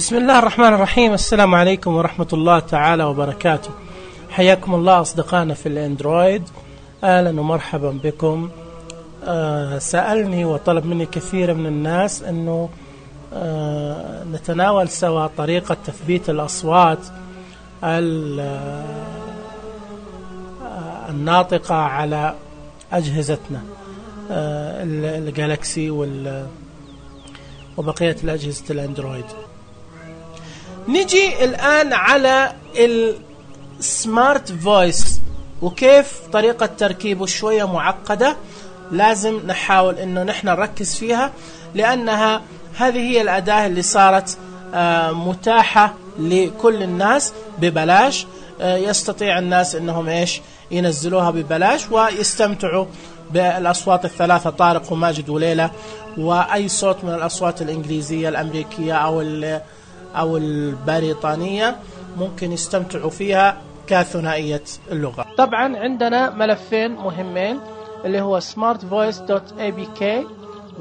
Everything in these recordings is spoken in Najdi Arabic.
بسم الله الرحمن الرحيم. السلام عليكم ورحمة الله تعالى وبركاته. حياكم الله أصدقائنا في الأندرويد، أهلا ومرحبا بكم. سألني وطلب مني كثير من الناس أنه نتناول سوا طريقة تثبيت الأصوات الناطقة على أجهزتنا الجالكسي وبقية الأجهزة الأندرويد. نجي الآن على السمارت فويس وكيف طريقة تركيبه شوية معقدة، لازم نحاول إنه نحن نركز فيها، لأنها هذه هي الأداة اللي صارت متاحة لكل الناس ببلاش. يستطيع الناس إنهم ينزلوها ببلاش ويستمتعوا بالأصوات الثلاثة، طارق وماجد وليلى، وأي صوت من الأصوات الإنجليزية الأمريكية أو البريطانية ممكن يستمتعوا فيها كثنائية اللغة. طبعا عندنا ملفين مهمين اللي هو smartvoice.abk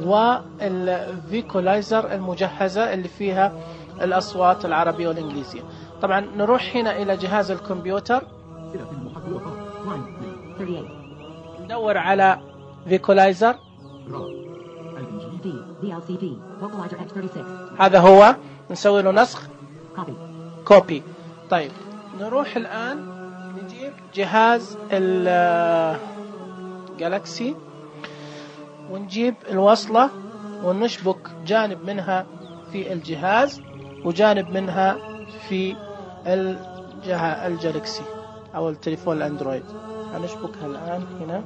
والفيكولايزر المجهزة اللي فيها الأصوات العربية والإنجليزية. طبعا نروح هنا إلى جهاز الكمبيوتر، ندور على فيكولايزر، هذا هو، نسوي له نسخ كوبي. طيب نروح الآن نجيب جهاز الجالكسي ونجيب الوصلة ونشبك جانب منها في الجهاز وجانب منها في الجالكسي أو التليفون الأندرويد. هنشبكها الآن هنا،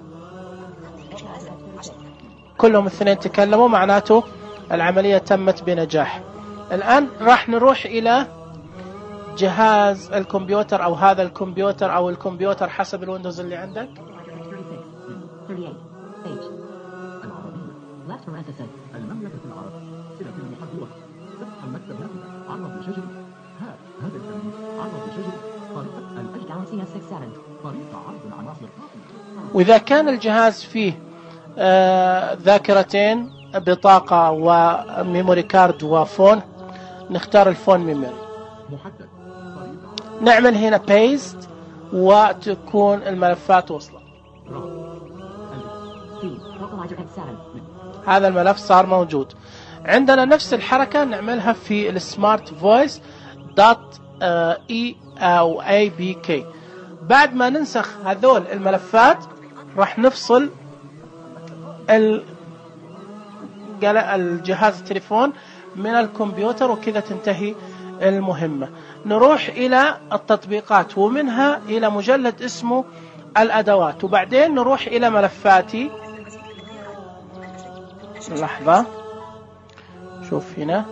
كلهم الاثنين تكلموا، معناته العملية تمت بنجاح. الآن راح نروح إلى جهاز الكمبيوتر أو هذا الكمبيوتر أو الكمبيوتر حسب الويندوز اللي عندك. وإذا كان الجهاز فيه ذاكرتين، بطاقة وميموري كارد وفون، نختار الفون ميموري، نعمل هنا بيست وتكون الملفات وصلت. هذا الملف صار موجود عندنا. نفس الحركة نعملها في السمارت فويس دوت اي او اي بي كي. بعد ما ننسخ هذول الملفات راح نفصل الجهاز التليفون من الكمبيوتر، وكذا تنتهي المهمة. نروح إلى التطبيقات ومنها إلى مجلد اسمه الأدوات، وبعدين نروح إلى ملفاتي. لحظة، شوف هنا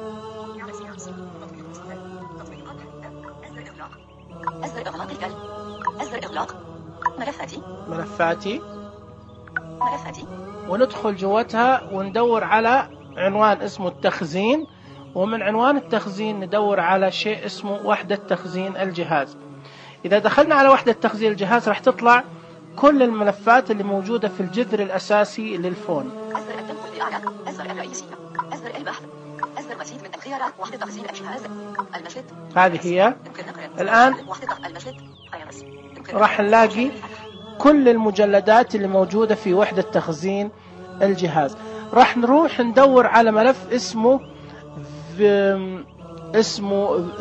ملفاتي وندخل جواتها وندور على عنوان اسمه التخزين، ومن عنوان التخزين ندور على شيء اسمه وحدة تخزين الجهاز. إذا دخلنا على وحدة تخزين الجهاز راح تطلع كل الملفات اللي موجودة في الجذر الأساسي للفون. أصدر التنقل بأعلى، أصدر الرئيسية، أصدر البحث، أصدر مزيد من الخيارات، وحدة تخزين الجهاز، المشهد. هذه هي. الآن راح نلاقي كل المجلدات اللي موجودة في وحدة تخزين الجهاز. راح نروح ندور على ملف اسمه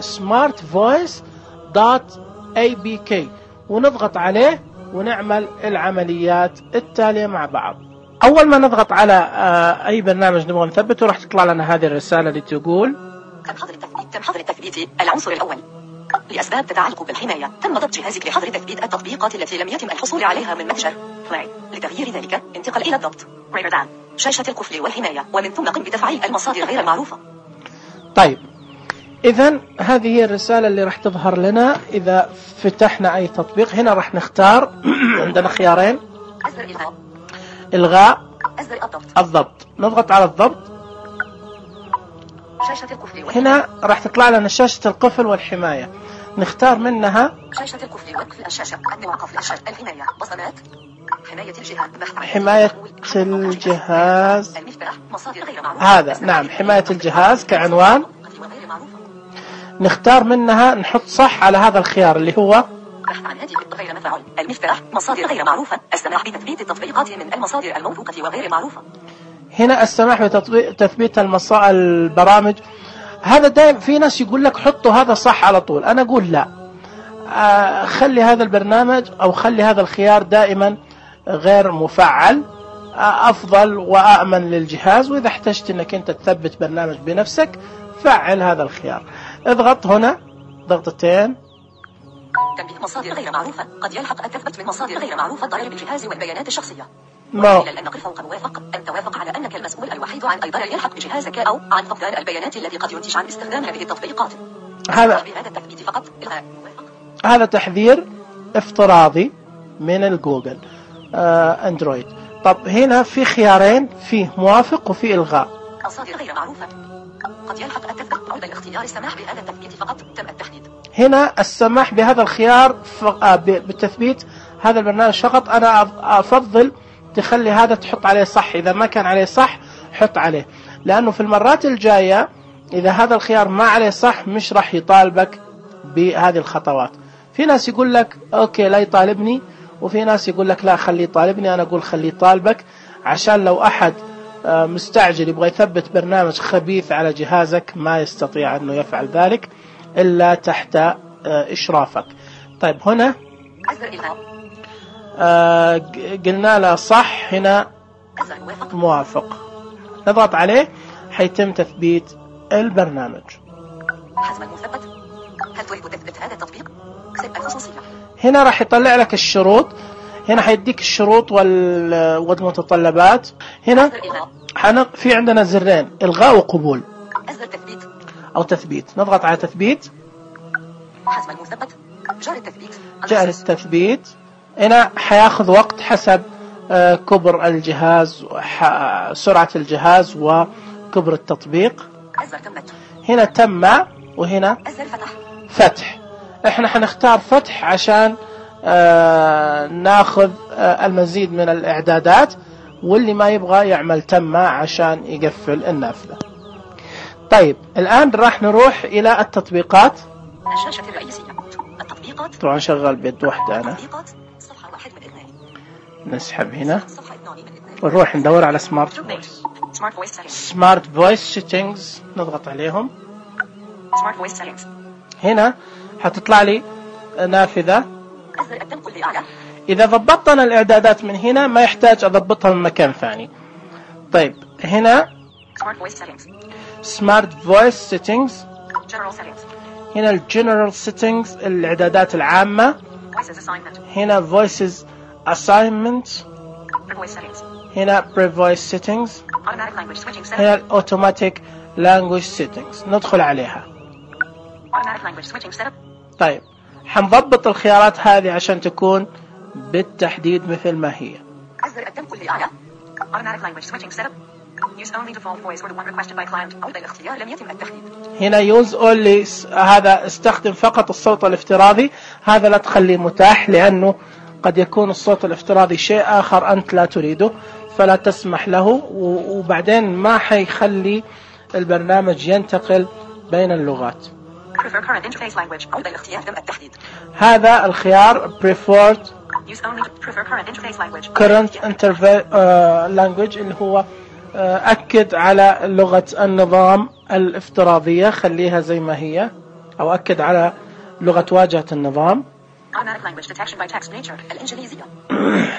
smartvoice.abk ونضغط عليه ونعمل العمليات التالية مع بعض. أول ما نضغط على أي برنامج نبغى نثبته راح تطلع لنا هذه الرسالة اللي تقول تم حظر التثبيت العنصر الأول لأسباب تتعلق بالحماية. تم ضبط جهازك لحظر تثبيت التطبيقات التي لم يتم الحصول عليها من متجر فلاي. لتغيير ذلك انتقل إلى الضبط شاشة القفل والحماية، ومن ثم قم بتفعيل المصادر غير المعروفة. طيب إذن هذه هي الرسالة اللي راح تظهر لنا إذا فتحنا أي تطبيق. هنا راح نختار عندنا خيارين، إلغاء، الضبط. نضغط على الضبط. هنا راح تطلع لنا شاشة القفل والحماية، نختار منها شاشة القفل وقفل الشاشة، قفل الشاشة، الحماية، بصمات، حماية الجهاز، حماية الجهاز، هذا نعم حماية الجهاز كعنوان. نختار منها نحط صح على هذا الخيار اللي هو بحث عن هاتف غير مفعول، المفتاح، مصادر غير معروفة، السماح بتثبيت التطبيقات من المصادر الموثوقة وغير معروفة. هنا السماح بتثبيت البرامج. هذا دائما في ناس يقول لك حطوا هذا صح على طول، أنا أقول لا، خلي هذا البرنامج أو خلي هذا الخيار دائما غير مفعل، أفضل وأأمن للجهاز. وإذا احتجت أنك أنت تثبت برنامج بنفسك فعل هذا الخيار. اضغط هنا ضغطتين. تنبيه مصادر غير معروفة، قد يلحق التثبت من مصادر غير معروفة الضرر بالجهاز والبيانات الشخصية. إلى النقر فوق موافق، أن توافق على أنك المسؤول الوحيد عن أي ضرر يلحق بجهازك أو عن فقدان البيانات التي قد ينتج عن استخدام هذه التطبيقات. هذا التثبيت فقط. هذا تحذير افتراضي من الجوجل اندرويد. طب هنا في خيارين، فيه موافق وفي إلغاء. مصادر غير معروفة، قد يلحق التثبيت عند الاختيار السماح بهذا التثبيت فقط، تم التحديد. هنا السماح بهذا الخيار بالتثبيت هذا البرنامج فقط. أنا أفضل تخلي هذا تحط عليه صح، إذا ما كان عليه صح حط عليه، لأنه في المرات الجاية إذا هذا الخيار ما عليه صح مش راح يطالبك بهذه الخطوات. في ناس يقول لك أوكي لا يطالبني، وفي ناس يقول لك لا خليه يطالبني. أنا أقول خليه يطالبك، عشان لو أحد مستعجل يبغى يثبت برنامج خبيث على جهازك ما يستطيع أنه يفعل ذلك إلا تحت إشرافك. طيب هنا قلنا له صح، هنا موافق، نضغط عليه حيتم تثبيت البرنامج. حسب المثبت، هل تريد تثبيت هذا التطبيق؟ اكسب الخصوصية. هنا راح يطلع لك الشروط، هنا حيديك الشروط والمتطلبات. هنا في عندنا زرين، إلغاء وقبول أو تثبيت. نضغط على تثبيت. حسب المثبت، جار التثبيت. هنا حياخذ وقت حسب كبر الجهاز، سرعة الجهاز وكبر التطبيق. هنا تم، وهنا فتح. احنا حنختار فتح عشان ناخذ المزيد من الإعدادات، واللي ما يبغى يعمل تم عشان يقفل النافذة. طيب الآن راح نروح إلى التطبيقات. الشاشة الرئيسية، التطبيقات. طبعا شغال بيد واحدة أنا. صفحة 1 من 2. نسحب هنا ونروح ندور على سمارت فويس. سمارت فويس سيتنجز، نضغط عليهم. هنا حتطلع لي نافذة. إذا ضبطنا الإعدادات من هنا ما يحتاج أضبطها من مكان ثاني. طيب هنا سمارت فويس سيتنجز، هنا الجنرال سيتنجز الإعدادات العامة، هنا فويسز assignment، هنا pre-voice settings، هنا automatic language settings. ندخل عليها. طيب حنضبط الخيارات هذه عشان تكون بالتحديد مثل ما هي. هنا use only، هذا استخدم فقط الصوت الافتراضي، هذا لا تخليه متاح لأنه قد يكون الصوت الافتراضي شيء آخر أنت لا تريده، فلا تسمح له، وبعدين ما حيخلي البرنامج ينتقل بين اللغات. هذا الخيار preferred current language اللي هو أكد على لغة النظام الافتراضية، خليها زي ما هي، أو أكد على لغة واجهة النظام.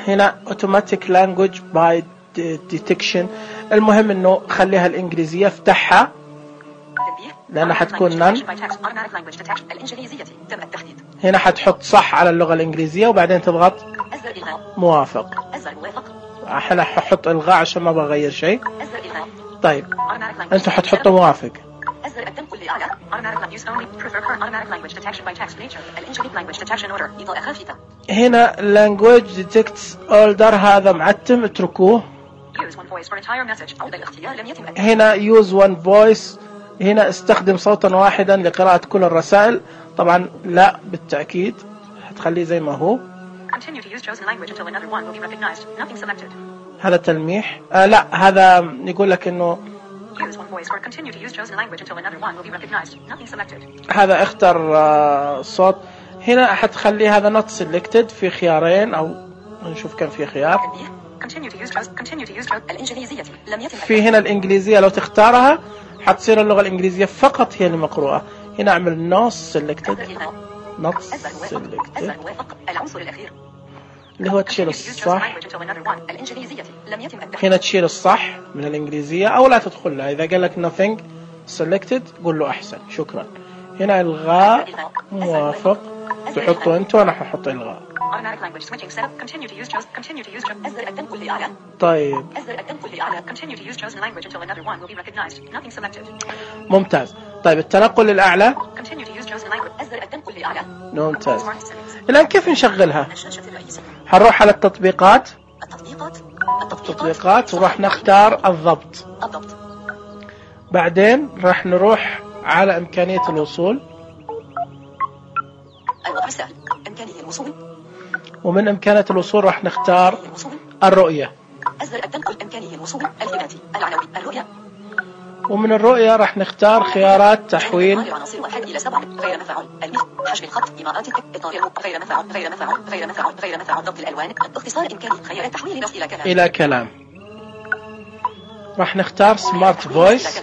هنا automatic language by detection، المهم انه خليها الانجليزية، افتحها لانها حتكون نان. هنا حتحط صح على اللغة الانجليزية وبعدين تضغط موافق. احنا ححط الغاء عشان ما بغير شيء. طيب انتوا حتحطوا موافق. هنا language detects older، هذا معتم، اتركوه. هنا use one voice، هنا استخدم صوتا واحدا لقراءة كل الرسائل. طبعا لا بالتأكيد هتخليه زي ما هو. هذا تلميح. لا هذا يقول لك انه Use one voice or continue to use chosen language until another one will be recognized. Nothing selected. هذا اختر صوت. هنا حتخلي هذا not selected في خيارين أو نشوف كم في خيار. Continue to use الإنجليزية لم يتم. في هنا الإنجليزية لو تختارها حتصير اللغة الإنجليزية فقط هي المقروءة. هنا أعمل not selected. not selected. العنصر الأخير. اللي هو تشيل الصح. هنا تشيل الصح من الإنجليزية أو لا تدخلها. إذا قال لك nothing selected قول له أحسن شكرا. هنا إلغاء موافق تحطه أنت وأنا ححط إلغاء. طيب ممتاز. طيب التنقل للأعلى ممتاز. الآن كيف نشغلها؟ هنروح على التطبيقات وراح نختار الضبط. بعدين راح نروح على إمكانية الوصول. ومن إمكانية الوصول راح نختار الرؤية. ومن الرؤية راح نختار خيارات تحويل. حجم الخط إمارات غير مفعول ضبط الألوان اختصار إمكانية خيارات تحويل نص إلى كلام. راح نختار سمارت فويس.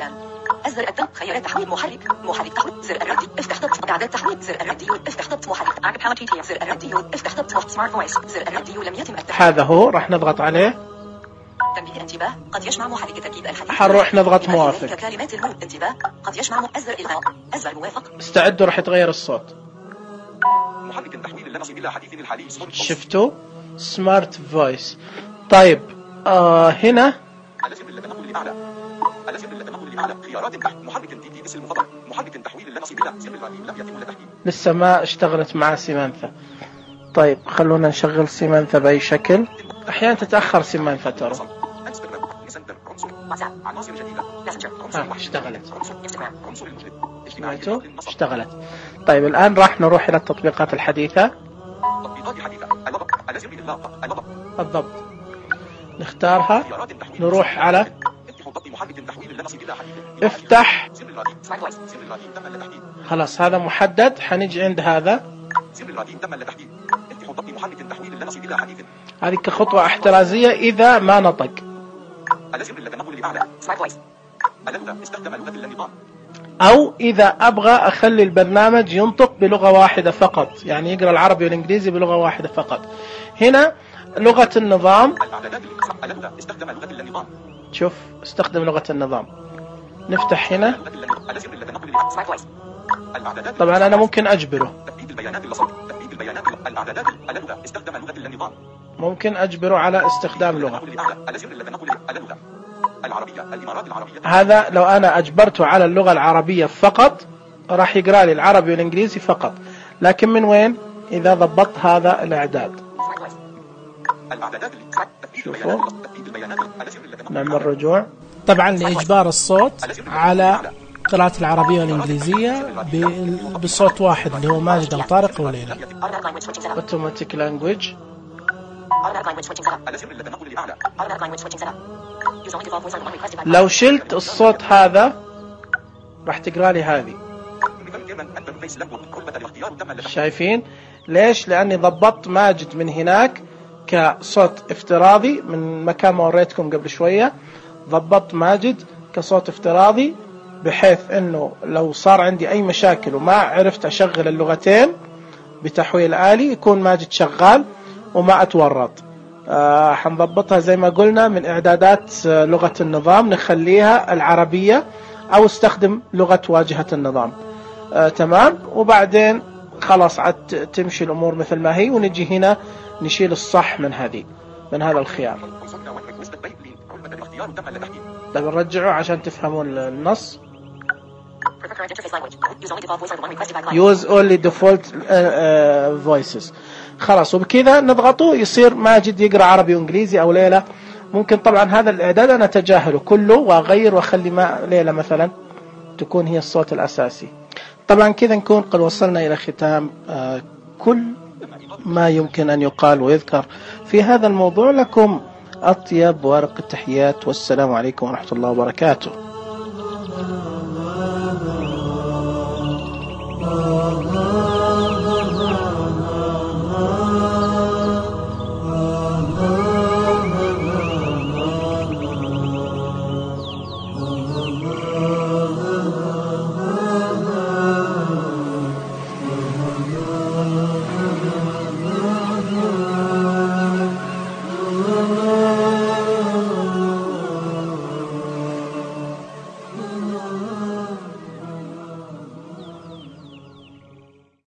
أزر الدم خيارات تحويل محرك تحويل زر الراديو افتح ضبط إعداد تحويل زر الراديو افتح ضبط محرك أعقب زر الراديو افتح ضبط سمارت فويس زر الراديو لم يتم هذا هو. راح نضغط عليه. تنبيه انتباه قد يشمع محرك تأكيد الحديث. حنروح نضغط موافق. كلمات الموت انتباه قد يشمع أزر إلغاء أزر موافق. استعدوا راح يتغير الصوت. محرك تحويل اللمس إلى حديث الحالي. شفتوا سمارت فويس. طيب هنا خيارات محرك تي اسم المفضل محرك تحويل اللمس إلى زر الراديو لم يتم التحديد. لسه ما اشتغلت مع سيمانثا. طيب خلونا نشغل سيمانثا بأي شكل. أحيانا تتأخر سيمانثا ترى. اشتغلت. طيب الآن راح نروح إلى التطبيقات الحديثة. الضبط نختارها. نروح على افتح. خلاص هذا محدد. حنيجي عند هذا. هذه كخطوة احترازية إذا ما نطق. أو إذا أبغى أخلي البرنامج ينطق بلغة واحدة فقط، يعني يقرأ العربي والإنجليزي بلغة واحدة فقط. هنا لغة النظام. شوف استخدم لغة النظام. نفتح هنا. طبعا أنا ممكن أجبره. ممكن أجبره على استخدام لغة. هذا لو أنا أجبرته على اللغة العربية فقط راح يقرأ لي العربي والإنجليزي فقط. لكن من وين؟ إذا ضبطت هذا الإعداد. شوفوا نعمل رجوع. طبعا لإجبار الصوت على قراءة العربية والإنجليزية بصوت واحد اللي هو ماجد أو طارق أو ليلى. Automatic language. لو شلت الصوت هذا راح تقرأ لي هذه. شايفين ليش؟ لأني ضبطت ماجد من هناك كصوت افتراضي من مكان ما وريتكم قبل شوية. ضبطت ماجد كصوت افتراضي بحيث انه لو صار عندي اي مشاكل وما عرفت اشغل اللغتين بتحويل آلي يكون ماجد شغال وما اتورط. حنضبطها زي ما قلنا من اعدادات لغة النظام نخليها العربية او استخدم لغة واجهة النظام. تمام. وبعدين خلاص عاد تمشي الامور مثل ما هي. ونجي هنا نشيل الصح من هذا الخيار. طيب نرجعه عشان تفهمون النص. Use only default voices. خلاص وبكذا نضغطه يصير ماجد يقرأ عربي وإنجليزي أو ليلى. ممكن طبعا هذا الإعداد أنا أتجاهله كله وأغير وأخلي ليلى مثلا تكون هي الصوت الأساسي. طبعا كذا نكون قد وصلنا إلى ختام كل ما يمكن أن يقال ويذكر في هذا الموضوع. لكم أطيب ورق التحيات والسلام عليكم ورحمة الله وبركاته.